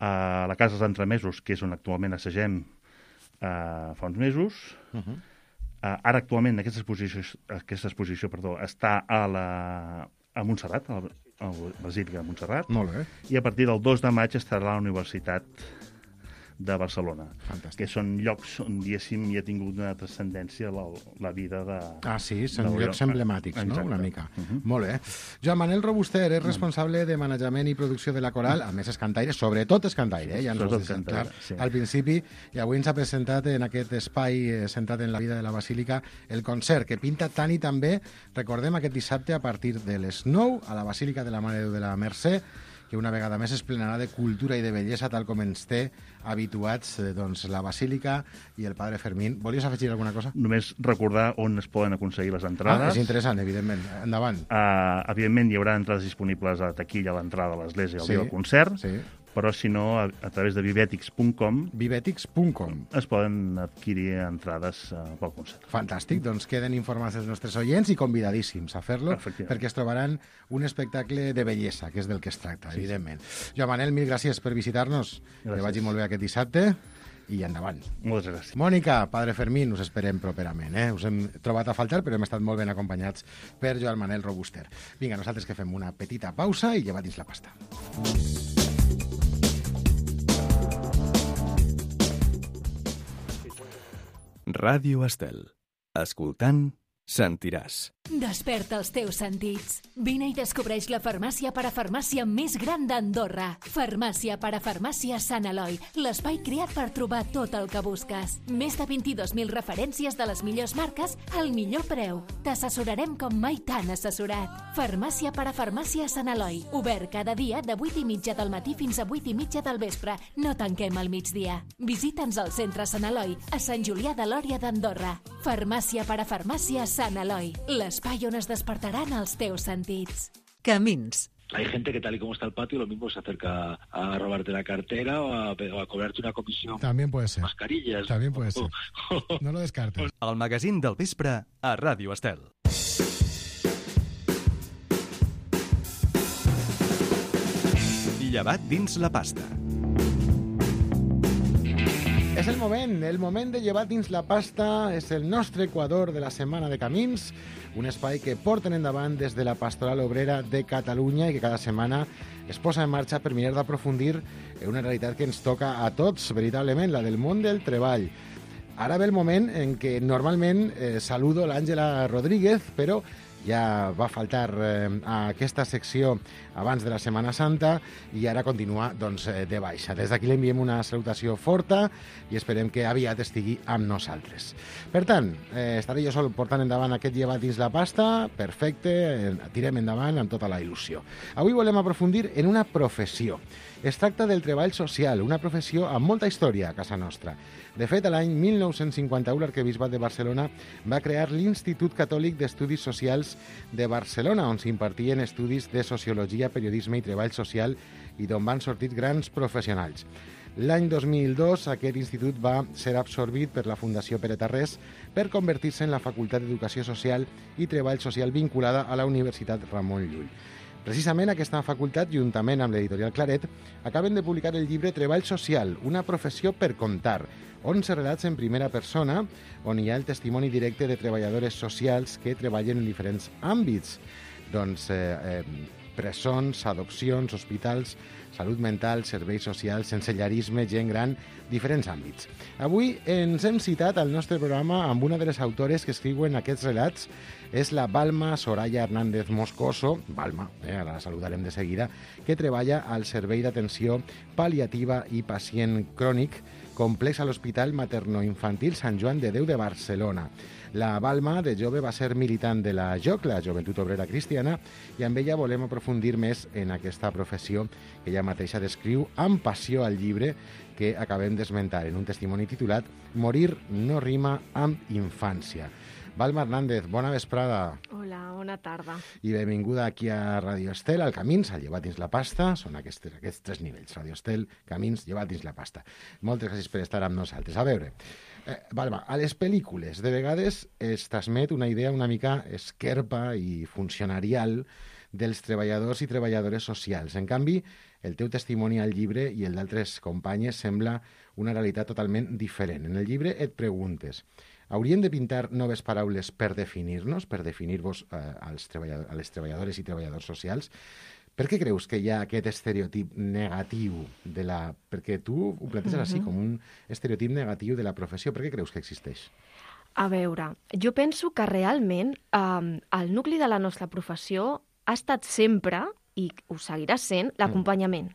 a la Casa dels Entremesos, que és on actualment assagem fa uns mesos. Ara, actualment, aquesta exposició està a Montserrat, a la Basílica de Montserrat. Molt bé. I a partir del 2 de maig estarà a la Universitat de Barcelona. Fantàstic. Que són llocs on, diguéssim, hi ha tingut una transcendència la vida de... Sí, són llocs emblemàtics, no?, una mica. Molt bé. Joan Manel Robuster és responsable de manejament i producció de la coral, a més és cantaire, sobretot és cantaire, ja ens ho has dit clar al principi, i avui ens ha presentat en aquest espai centrat en la vida de la Basílica el concert, que pinta tant i tan bé, recordem, aquest dissabte a partir de les 9 a la Basílica de la Mare de Déu de la Mercè, que una vegada més es plenarà de cultura i de bellesa, tal com ens té habituats la Basílica i el Padre Fermín. Volies afegir alguna cosa? Només recordar on es poden aconseguir les entrades. És interessant, evidentment. Endavant. Evidentment, hi haurà entrades disponibles a taquilla a l'entrada de l'església al dia del concert, però si no, a través de vivetics.com es poden adquirir entrades pel concert. Fantàstic, doncs queden informats els nostres oients i convidadíssims a fer-lo, perquè es trobaran un espectacle de bellesa, que és del que es tracta, evidentment. Joan Manel, mil gràcies per visitar-nos, que vagi molt bé aquest dissabte, i endavant. Moltes gràcies. Mònica, Padre Fermín, us esperem properament. Us hem trobat a faltar, però hem estat molt ben acompanyats per Joan Manel Robuster. Vinga, nosaltres que fem una petita pausa i lleva dins la pasta. Ràdio Estel. Escoltant, sentiràs. Desperta els teus sentits. Vine i descobreix la farmàcia parafarmàcia més gran d'Andorra. Farmàcia parafarmàcia Sant Eloi, l'espai creat per trobar tot el que busques. Més de 22.000 referències de les millors marques al millor preu. T'assessorarem com mai t'han assessorat. Farmàcia parafarmàcia Sant Eloi, obert cada dia de 8:30 del matí fins a 8:30 del vespre. No tanquem al migdia. Visita'ns al centre Sant Eloi, a Sant Julià de Lòria d'Andorra. Farmàcia parafarmàcia Sant Eloi, l'espai on es despertaran els teus sentits. Camins. Hay gente que tal y como está el patio, lo mismo se acerca a robarte la cartera o a cobrarte una comisión. También puede ser. Mascarillas. También puede ser. No lo descartes. El magazín del vespre a Ràdio Estel. Llevat dins la pasta. És el moment de llevar dins la pasta, és el nostre Equador de la Setmana de Camins, un espai que porten endavant des de la Pastoral Obrera de Catalunya i que cada setmana es posa en marxa per mirar d'aprofundir en una realitat que ens toca a tots, veritablement, la del món del treball. Ara ve el moment en què normalment saludo l'Àngela Rodríguez, però ja va faltar a aquesta secció abans de la Setmana Santa i ara continua de baixa. Des d'aquí li enviem una salutació forta i esperem que aviat estigui amb nosaltres. Per tant, estaré jo sol portant endavant aquest llevat dins la pasta. Perfecte, tirem endavant amb tota la il·lusió. Avui volem aprofundir en una professió. Es tracta del treball social, una professió amb molta història a casa nostra. De fet, l'any 1951 l'Arquebisbat de Barcelona va crear l'Institut Catòlic d'Estudis Socials de Barcelona, on s'impartien estudis de sociologia, periodisme i treball social i d'on van sortir grans professionals. L'any 2002 aquest institut va ser absorbit per la Fundació Pere Tarrés per convertir-se en la Facultat d'Educació Social i Treball Social vinculada a la Universitat Ramon Llull. Precisament aquesta facultat, juntament amb l'editorial Claret, acaben de publicar el llibre Treball Social, una professió per contar, 11 relats en primera persona, on hi ha el testimoni directe de treballadores socials que treballen en diferents àmbits, presons, adopcions, hospitals, salut mental, serveis socials, sensellarisme, gent gran, diferents àmbits. Avui ens hem citat al nostre programa amb una de les autores que escriuen aquests relats, és la Balma Soraya Hernández Moscoso, Balma, ara la saludarem de seguida, que treballa al Servei d'Atenció Pal·liativa i Pacient Crònic complex a l'Hospital Materno-Infantil Sant Joan de Déu de Barcelona. La Balma, de jove, va ser militant de la JOC, la Joventut Obrera Cristiana, i amb ella volem aprofundir més en aquesta professió que ella mateixa descriu amb passió al llibre que acabem d'esmentar en un testimoni titulat Morir no rima amb infància. Balma Hernández, bona vesprada. Hola, bona tarda. I benvinguda aquí a Radio Estel, al Camins, al Llevat dins la pasta. Són aquests tres nivells, Radio Estel, Camins, Llevat dins la pasta. Moltes gràcies per estar amb nosaltres. A veure, Balma, a les pel·lícules de vegades es transmet una idea una mica esquerpa i funcionarial dels treballadors i treballadores socials. En canvi, el teu testimoni al llibre i el d'altres companyes sembla una realitat totalment diferent. En el llibre et preguntes: hauríem de pintar noves paraules per definir-nos, per definir-vos a les treballadores i treballadors socials? Per què creus que hi ha aquest estereotip negatiu de la... Perquè tu ho planteges així, com un estereotip negatiu de la professió. Per què creus que existeix? A veure, jo penso que realment el nucli de la nostra professió ha estat sempre, i ho seguirà sent, l'acompanyament.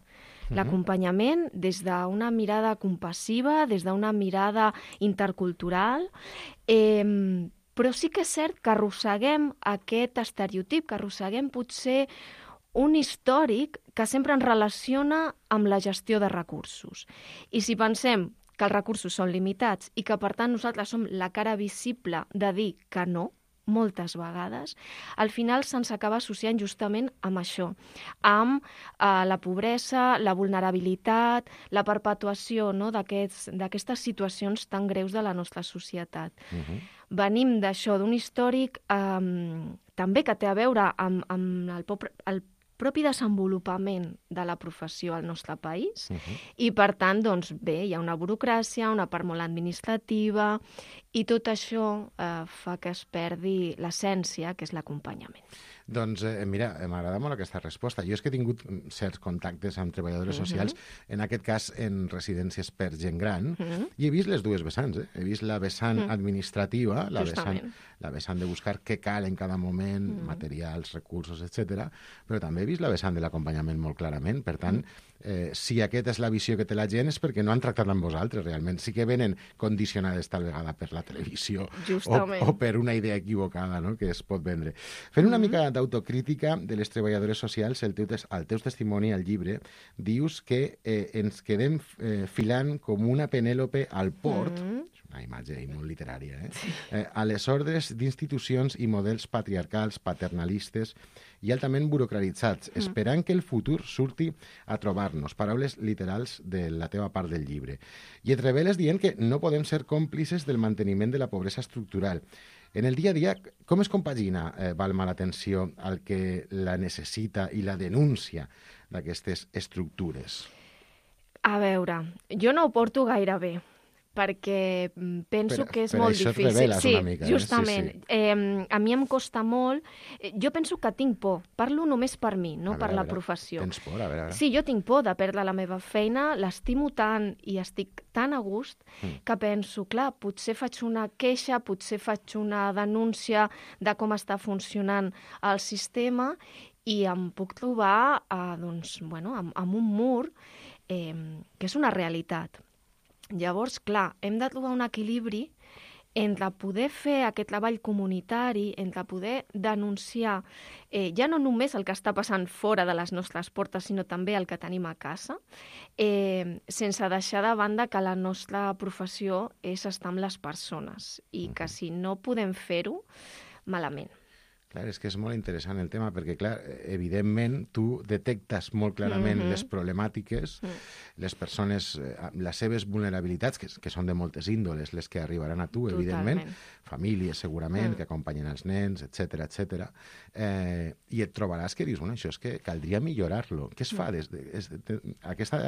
L'acompanyament des d'una mirada compassiva, des d'una mirada intercultural, però sí que és cert que arrosseguem aquest estereotip, que arrosseguem potser un històric que sempre ens relaciona amb la gestió de recursos. I si pensem que els recursos són limitats i que, per tant, nosaltres som la cara visible de dir que no, moltes vegades, al final se'ns acaba associant justament amb això, amb la pobresa, la vulnerabilitat, la perpetuació d'aquestes situacions tan greus de la nostra societat. Venim d'això, d'un històric també que té a veure amb el propi desenvolupament de la professió al nostre país i, per tant, doncs, bé, hi ha una burocràcia, una part molt administrativa i tot això fa que es perdi l'essència, que és l'acompanyament. Doncs, mira, m'agrada molt aquesta resposta. Jo és que he tingut certs contactes amb treballadores socials, en aquest cas en residències per gent gran, i he vist les dues vessants. He vist la vessant administrativa, la vessant de buscar què cal en cada moment, materials, recursos, etc. Però també he vist la vessant de l'acompanyament molt clarament. Per tant, si aquesta és la visió que té la gent és perquè no han tractat amb vosaltres, realment. Sí que venen condicionades tal vegada per la televisió o per una idea equivocada, no?, que es pot vendre. Fent una mica d'autocrítica de les treballadores socials, al teu testimoni al llibre, dius que ens quedem filant com una Penèlope al port, una imatge molt literària, a les ordres d'institucions i models patriarcals, paternalistes i altament burocratitzats, esperant que el futur surti a trobar-nos. Paraules literals de la teva part del llibre. I et reveles dient que no podem ser còmplices del manteniment de la pobresa estructural. En el dia a dia, com es compagina, Balma, l'atenció al que la necessita i la denúncia d'aquestes estructures? A veure, jo no ho porto gaire bé, perquè penso que és molt difícil. Per això et reveles una mica. Justament. A mi em costa molt. Jo penso que tinc por. Parlo només per mi, no per la professió. Tens por? A veure. Sí, jo tinc por de perdre la meva feina, l'estimo tant i estic tan a gust que penso, clar, potser faig una queixa, potser faig una denúncia de com està funcionant el sistema i em puc trobar amb un mur que és una realitat. Llavors, clar, hem de trobar un equilibri entre poder fer aquest treball comunitari, entre poder denunciar ja no només el que està passant fora de les nostres portes, sinó també el que tenim a casa, sense deixar de banda que la nostra professió és estar amb les persones i que si no podem fer-ho, malament. Clar, és que és molt interessant el tema, perquè, clar, evidentment, tu detectes molt clarament les problemàtiques, les persones, les seves vulnerabilitats, que són de moltes índoles, les que arribaran a tu, evidentment, famílies, segurament, que acompanyen els nens, etc. I et trobaràs que dius, bueno, això és que caldria millorar-lo. Què es fa aquesta,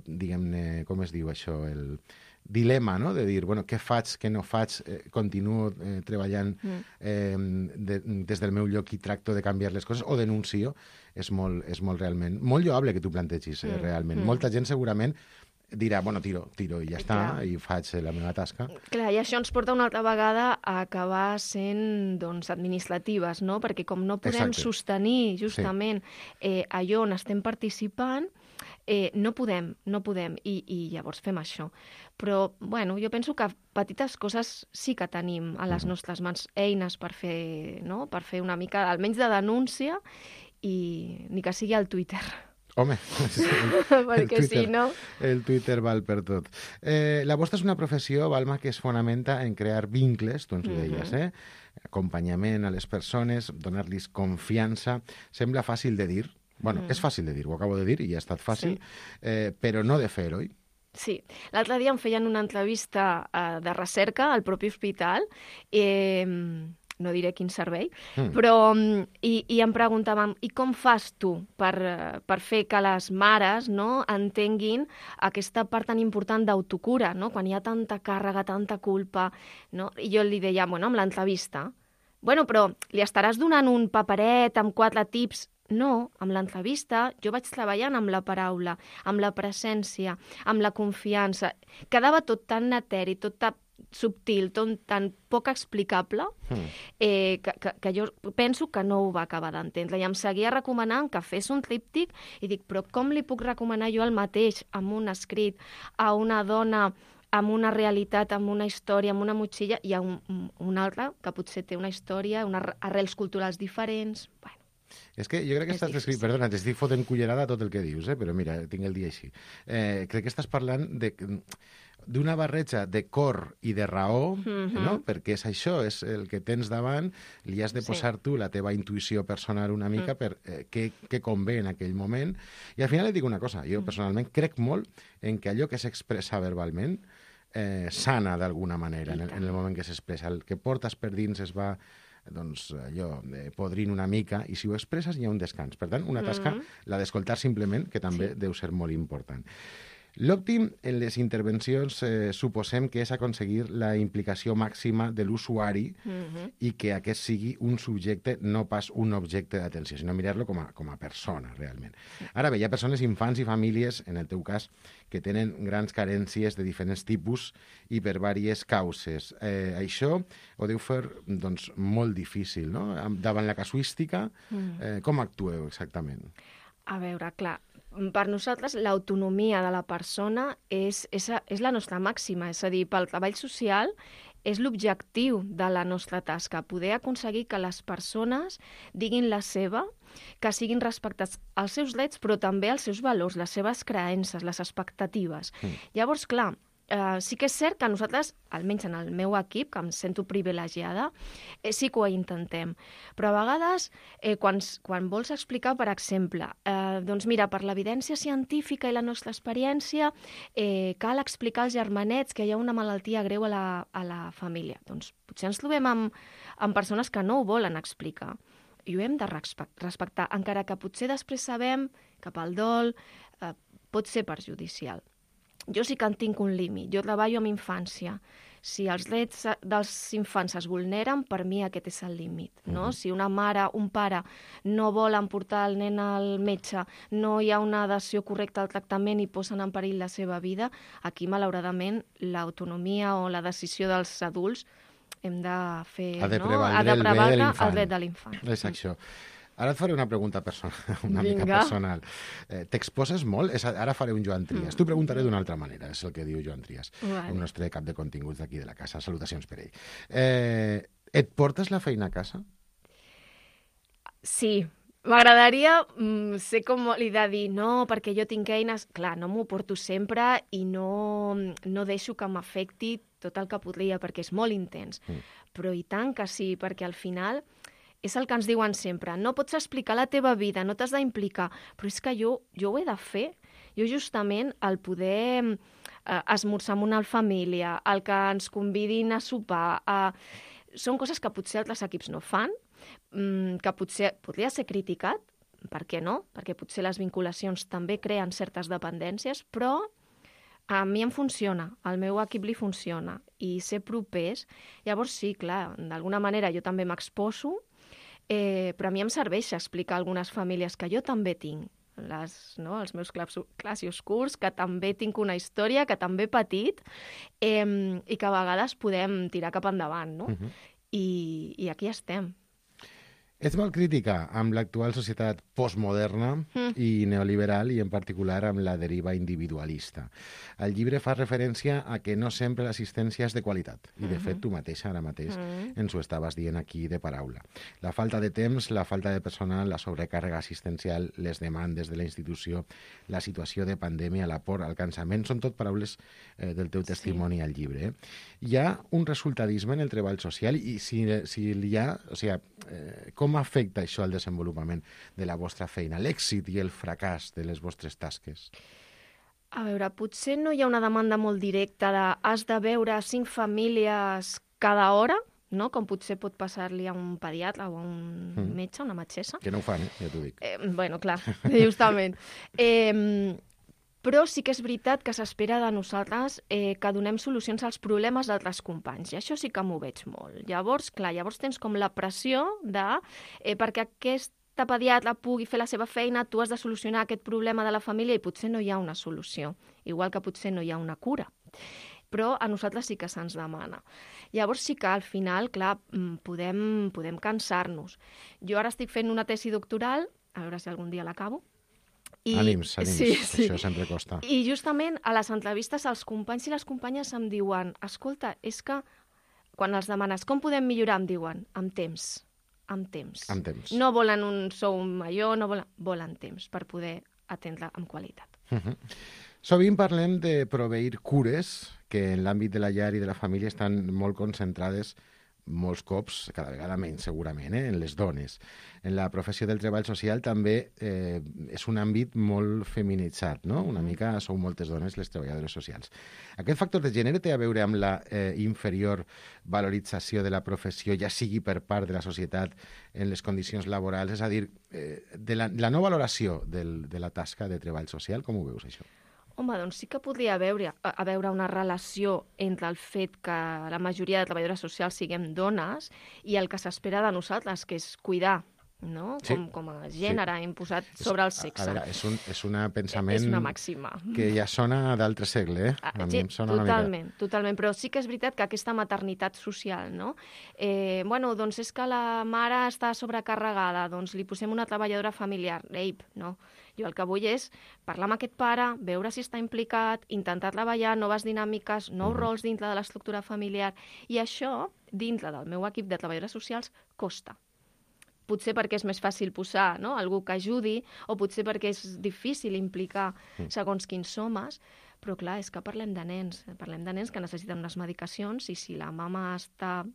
diguem-ne, com es diu això, el dilema, no?, de dir, bueno, què faig, què no faig, continuo treballant des del meu lloc i tracto de canviar les coses, o denuncio, és molt realment, molt lloable que tu plantegis, realment. Molta gent segurament dirà, bueno, tiro i ja està, i faig la meva tasca. Clar, i això ens porta una altra vegada a acabar sent, doncs, administratives, no?, perquè com no podem sostenir justament allò on estem participant, no podem, i llavors fem això. Però, bueno, jo penso que petites coses sí que tenim a les nostres mans, eines per fer una mica, almenys de denúncia, i ni que sigui al Twitter. Home, perquè si no... El Twitter val per tot. La vostra és una professió, Balma, que es fonamenta en crear vincles, tu ens ho deies, acompanyament a les persones, donar-los confiança. Sembla fàcil de dir. Bueno, és fàcil de dir, ho acabo de dir i ja ha estat fàcil, però no de fer, oi? Sí. L'altre dia em feien una entrevista de recerca al propi hospital, no diré quin servei, però i em preguntaven, i com fas tu per fer que les mares entenguin aquesta part tan important d'autocura, no? Quan hi ha tanta càrrega, tanta culpa, no? I jo li deia, bueno, amb l'entrevista, bueno, però li estaràs donant un paperet amb 4 tips? No, amb l'entrevista jo vaig treballant amb la paraula, amb la presència, amb la confiança. Quedava tot tan eteri, tot tan subtil, tot tan poc explicable, que jo penso que no ho va acabar d'entendre. I em seguia recomanant que fes un tríptic i dic, però com li puc recomanar jo el mateix amb un escrit a una dona amb una realitat, amb una història, amb una motxilla, i a un altre que potser té una història, unes arrels culturals diferents... Bueno, és que jo crec que estàs escrit... Perdona, t'estic fotent cullerada a tot el que dius, però mira, tinc el dia així. Crec que estàs parlant d'una barreja de cor i de raó, no? Perquè és això, és el que tens davant, li has de posar tu la teva intuïció personal una mica per què convé en aquell moment. I al final et dic una cosa, jo personalment crec molt en que allò que s'expressa verbalment sana d'alguna manera en el moment que s'expressa. El que portes per dins es va podrint una mica, i si ho expresses hi ha un descans. Per tant, una tasca, la d'escoltar simplement, que també deu ser molt important. L'òptim en les intervencions suposem que és aconseguir la implicació màxima de l'usuari i que aquest sigui un subjecte, no pas un objecte d'atenció, sinó mirar-lo com a persona, realment. Ara bé, hi ha persones, infants i famílies, en el teu cas, que tenen grans carències de diferents tipus i per diverses causes. Això ho deu fer molt difícil, no? Davant la casuística, com actueu exactament? A veure, clar, per nosaltres l'autonomia de la persona és la nostra màxima, és a dir, pel treball social és l'objectiu de la nostra tasca, poder aconseguir que les persones diguin la seva, que siguin respectats els seus drets, però també els seus valors, les seves creences, les expectatives. Llavors, clar, sí que és cert que nosaltres, almenys en el meu equip, que em sento privilegiada, sí que ho intentem. Però a vegades, quan vols explicar, per exemple, doncs mira, per l'evidència científica i la nostra experiència, cal explicar als germanets que hi ha una malaltia greu a la família. Doncs potser ens trobem amb persones que no ho volen explicar. I ho hem de respectar, encara que potser després sabem que pel dol pot ser perjudicial. jo sí que en tinc un límit. Jo treballo amb infància. Si els drets dels infants es vulneren, per mi aquest és el límit. No? Si una mare, un pare no volen portar el nen al metge, no hi ha una adhesió correcta al tractament i posen en perill la seva vida, aquí, malauradament, l'autonomia o la decisió dels adults hem de fer... Ha de prevaldre el dret de l'infant. És això. Ara et faré una pregunta personal, una mica personal. T'exposes molt? Ara faré un Joan Trias. T'ho preguntaré d'una altra manera, és el que diu Joan Trias, el nostre cap de continguts d'aquí de la casa. Salutacions per ell. Et portes la feina a casa? Sí. M'agradaria ser com li de dir, no, perquè jo tinc eines... Clar, no m'ho porto sempre i no deixo que m'afecti tot el que podria, perquè és molt intens. Però i tant que sí, perquè al final... És el que ens diuen sempre, no pots explicar la teva vida, no t'has d'implicar, però és que jo ho he de fer. Jo justament el poder esmorzar amb una família, el que ens convidin a sopar, són coses que potser altres equips no fan, que potser podria ser criticat, per què no? Perquè potser les vinculacions també creen certes dependències, però a mi em funciona, al meu equip li funciona, i ser propers, llavors sí, clar, d'alguna manera jo també m'exposo, però a mi em serveix explicar a algunes famílies que jo també tinc, els meus clars i oscurs, que també tinc una història, que també he patit, i que a vegades podem tirar cap endavant, no? I aquí estem. Ets molt crítica amb l'actual societat postmoderna i neoliberal i en particular amb la deriva individualista. El llibre fa referència a que no sempre l'assistència és de qualitat i de fet tu mateixa ara mateix ens ho estaves dient aquí de paraula. La falta de temps, la falta de personal, la sobrecàrrega assistencial, les demandes de la institució, la situació de pandèmia, la por, el cansament, són tot paraules del teu testimoni al llibre. Hi ha un resultadisme en el treball social i si hi ha, o sigui, com afecta això al desenvolupament de la vostra feina, l'èxit i el fracàs de les vostres tasques? A veure, potser no hi ha una demanda molt directa de has de veure 5 famílies cada hora, no? Com potser pot passar-li a un pediatre o a un metge, una metgessa. Que no ho fan, ja t'ho dic. Bueno, clar, justament. Però sí que és veritat que s'espera de nosaltres que donem solucions als problemes d'altres companys, i això sí que m'ho veig molt. Llavors, clar, tens com la pressió de perquè aquesta pediatra pugui fer la seva feina, tu has de solucionar aquest problema de la família i potser no hi ha una solució, igual que potser no hi ha una cura. Però a nosaltres sí que se'ns demana. Llavors sí que al final, clar, podem cansar-nos. Jo ara estic fent una tesi doctoral, a veure si algun dia l'acabo. Ànims, això sempre costa. I justament a les entrevistes els companys i les companyes em diuen escolta, és que quan els demanes com podem millorar, em diuen amb temps. No volen un sou major, volen temps per poder atendre amb qualitat. Sovint parlem de proveir cures que en l'àmbit de la llar i de la família estan molt concentrades molts cops, cada vegada menys segurament, en les dones. En la professió del treball social també és un àmbit molt feminitzat, no? Una mica sou moltes dones les treballadores socials. Aquest factor de gènere té a veure amb la inferior valorització de la professió, ja sigui per part de la societat en les condicions laborals, és a dir, de la no valoració de la tasca de treball social. Com ho veus, això? Home, doncs sí que podria haver una relació entre el fet que la majoria de treballadores socials siguem dones i el que s'espera de nosaltres, que és cuidar, no? Sí. Com a gènere imposat sobre el sexe. A veure, és un pensament... És una màxima. Que ja sona d'altre segle, A mi em sona una mica... Totalment, però sí que és veritat que aquesta maternitat social, no? Doncs és que la mare està sobrecarregada, doncs li posem una treballadora familiar. No. Jo el que vull és parlar amb aquest pare, veure si està implicat, intentar treballar noves dinàmiques, nous rols dintre de l'estructura familiar. I això, dintre del meu equip de treballadores socials, costa. Potser perquè és més fàcil posar algú que ajudi, o potser perquè és difícil implicar segons quins homes, però clar, és que parlem de nens que necessiten unes medicacions i si la mama està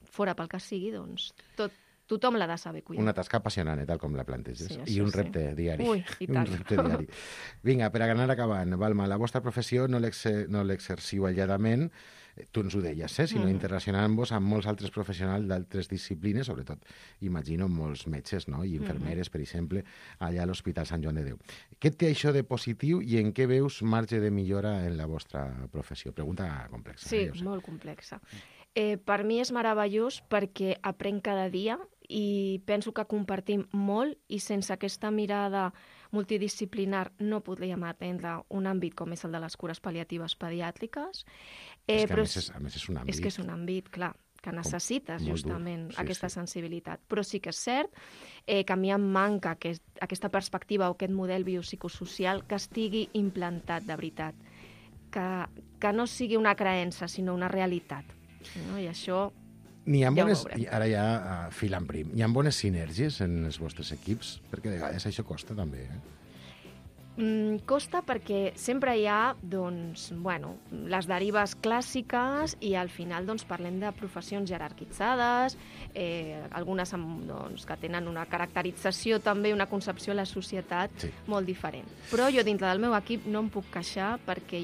fora pel que sigui, doncs tot tothom l'ha de saber cuidar. Una tasca apassionant, tal com la planteges. Sí, I un repte diari. Ui, i tant. Un repte diari. Vinga, per anar acabant, Balma, la vostra professió no l'exerciu aïlladament, tu ens ho deies, sinó internacionant-vos amb molts altres professionals d'altres disciplines, sobretot, imagino, molts metges, no? I infermeres, per exemple, allà a l'Hospital Sant Joan de Déu. Què té això de positiu i en què veus marge de millora en la vostra professió? Pregunta complexa. Sí, molt complexa. Per mi és meravellós perquè aprenc cada dia i penso que compartim molt i sense aquesta mirada multidisciplinar no podríem atendre un àmbit com és el de les cures pal·liatives pediàtriques. És que a més és un àmbit. És que és un àmbit, clar, que necessites justament aquesta sensibilitat. Però sí que és cert que a mi em manca aquesta perspectiva o aquest model biopsicosocial que estigui implantat de veritat, que no sigui una creença, sinó una realitat. I això ara ja filant prim. Hi ha bones sinergies en els vostres equips? Perquè de vegades això costa també, Costa perquè sempre hi ha les derives clàssiques i al final parlem de professions jerarquitzades, algunes que tenen una caracterització també, una concepció de la societat molt diferent. Però jo dintre del meu equip no em puc queixar perquè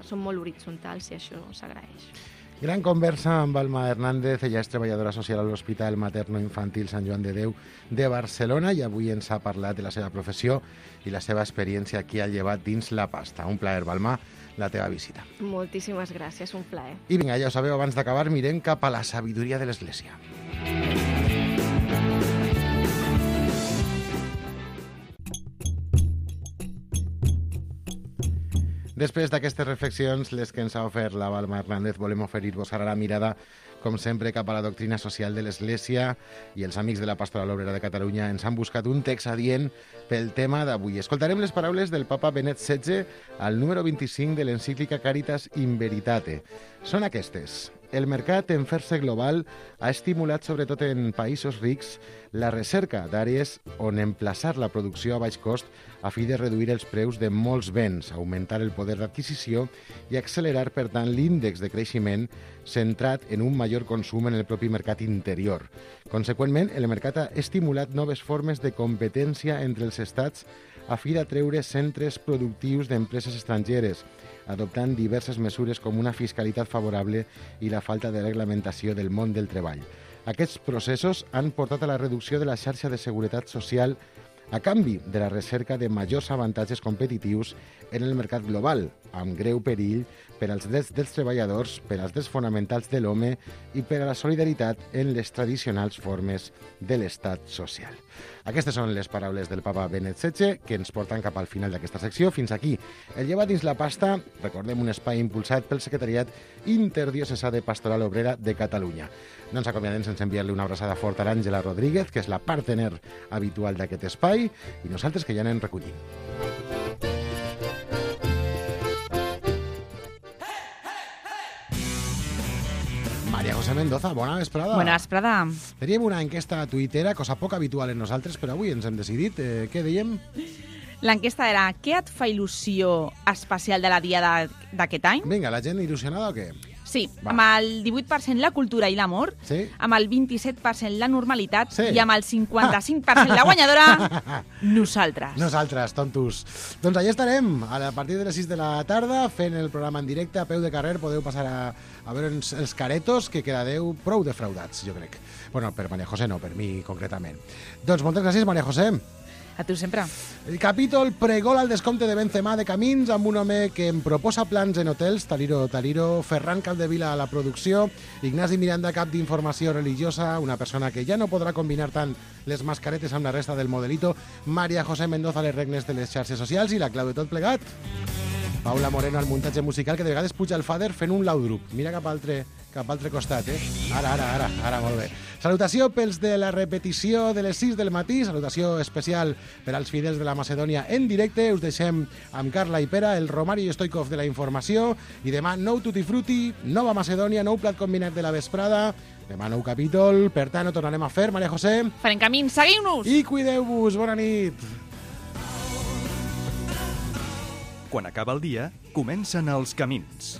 són molt horitzontals i això s'agraeix. Gran conversa amb Balma Hernández, ella és treballadora social a l'Hospital Materno-Infantil Sant Joan de Déu de Barcelona i avui ens ha parlat de la seva professió i la seva experiència aquí al Llevat dins la pasta. Un plaer, Balma, la teva visita. Moltíssimes gràcies, un plaer. I vinga, ja ho sabeu, abans d'acabar mirem cap a la sabidoria de l'Església. Després d'aquestes reflexions, les que ens ha ofert la Balma Hernández, volem oferir-vos ara la mirada, com sempre, cap a la doctrina social de l'Església, i els amics de la Pastoral Obrera de Catalunya ens han buscat un text adient pel tema d'avui. Escoltarem les paraules del papa Benet XVI al número 25 de l'encíclica Caritas in Veritate. Són aquestes. El mercat en fer-se global ha estimulat, sobretot en països rics, la recerca d'àrees on emplaçar la producció a baix cost a fi de reduir els preus de molts béns, augmentar el poder d'adquisició i accelerar, per tant, l'índex de creixement centrat en un major consum en el propi mercat interior. Conseqüentment, el mercat ha estimulat noves formes de competència entre els estats a fi d'atreure centres productius d'empreses estrangeres, adoptant diverses mesures com una fiscalitat favorable i la falta de reglamentació del món del treball. Aquests processos han portat a la reducció de la xarxa de seguretat social a canvi de la recerca de majors avantatges competitius en el mercat global, amb greu perill per als drets dels treballadors, per als drets fonamentals de l'home i per a la solidaritat en les tradicionals formes de l'estat social. Aquestes són les paraules del papa Benet XVI que ens porten cap al final d'aquesta secció. Fins aquí. El Llevat dins la pasta, recordem, un espai impulsat pel Secretariat Interdiocesà de Pastoral Obrera de Catalunya. No ens acomiadem sense enviar-li una abraçada forta a l'Àngela Rodríguez, que és la partener habitual d'aquest espai, i nosaltres que ja anem recollint. María José Mendoza, bona vesprada. Bona vesprada. Teníem una enquesta tuitera, cosa poc habitual en nosaltres, però avui ens hem decidit. Què dèiem? L'enquesta era: què et fa il·lusió especial de la Diada d'aquest any? Vinga, la gent il·lusionada o què? Sí, amb el 18% la cultura i l'amor, amb el 27% la normalitat i amb el 55% la guanyadora, nosaltres. Nosaltres, tontos. Doncs allà estarem, a partir de les 6 de la tarda, fent el programa en directe, a peu de carrer. Podeu passar a veure els caretos, que quedadeu prou defraudats, jo crec. Bueno, per María José no, per mi concretament. Doncs moltes gràcies, María José. A tu sempre. El capítol pregol al descompte de Benzema de Camins amb un home que em proposa plans en hotels, Taliro, Ferran Capdevila a la producció, Ignasi Miranda, cap d'informació religiosa, una persona que ja no podrà combinar tant les mascaretes amb la resta del modelito, María José Mendoza a les regnes de les xarxes socials i la clau de tot plegat, Paula Moreno al muntatge musical, que de vegades puja el fader fent un laudrup. Mira cap a altre costat, Ara, molt bé. Salutació pels de la repetició de les 6 del matí, salutació especial per als fidels de la Macedònia en directe. Us deixem amb Carla i Pera, el Romario Stoikov de la informació, i demà nou Tutti Frutti, nova Macedònia, nou plat combinat de la vesprada, demà nou capítol, per tant ho tornarem a fer, María José. Farem camí, seguiu-nos! I cuideu-vos, bona nit! Quan acaba el dia, comencen els camins.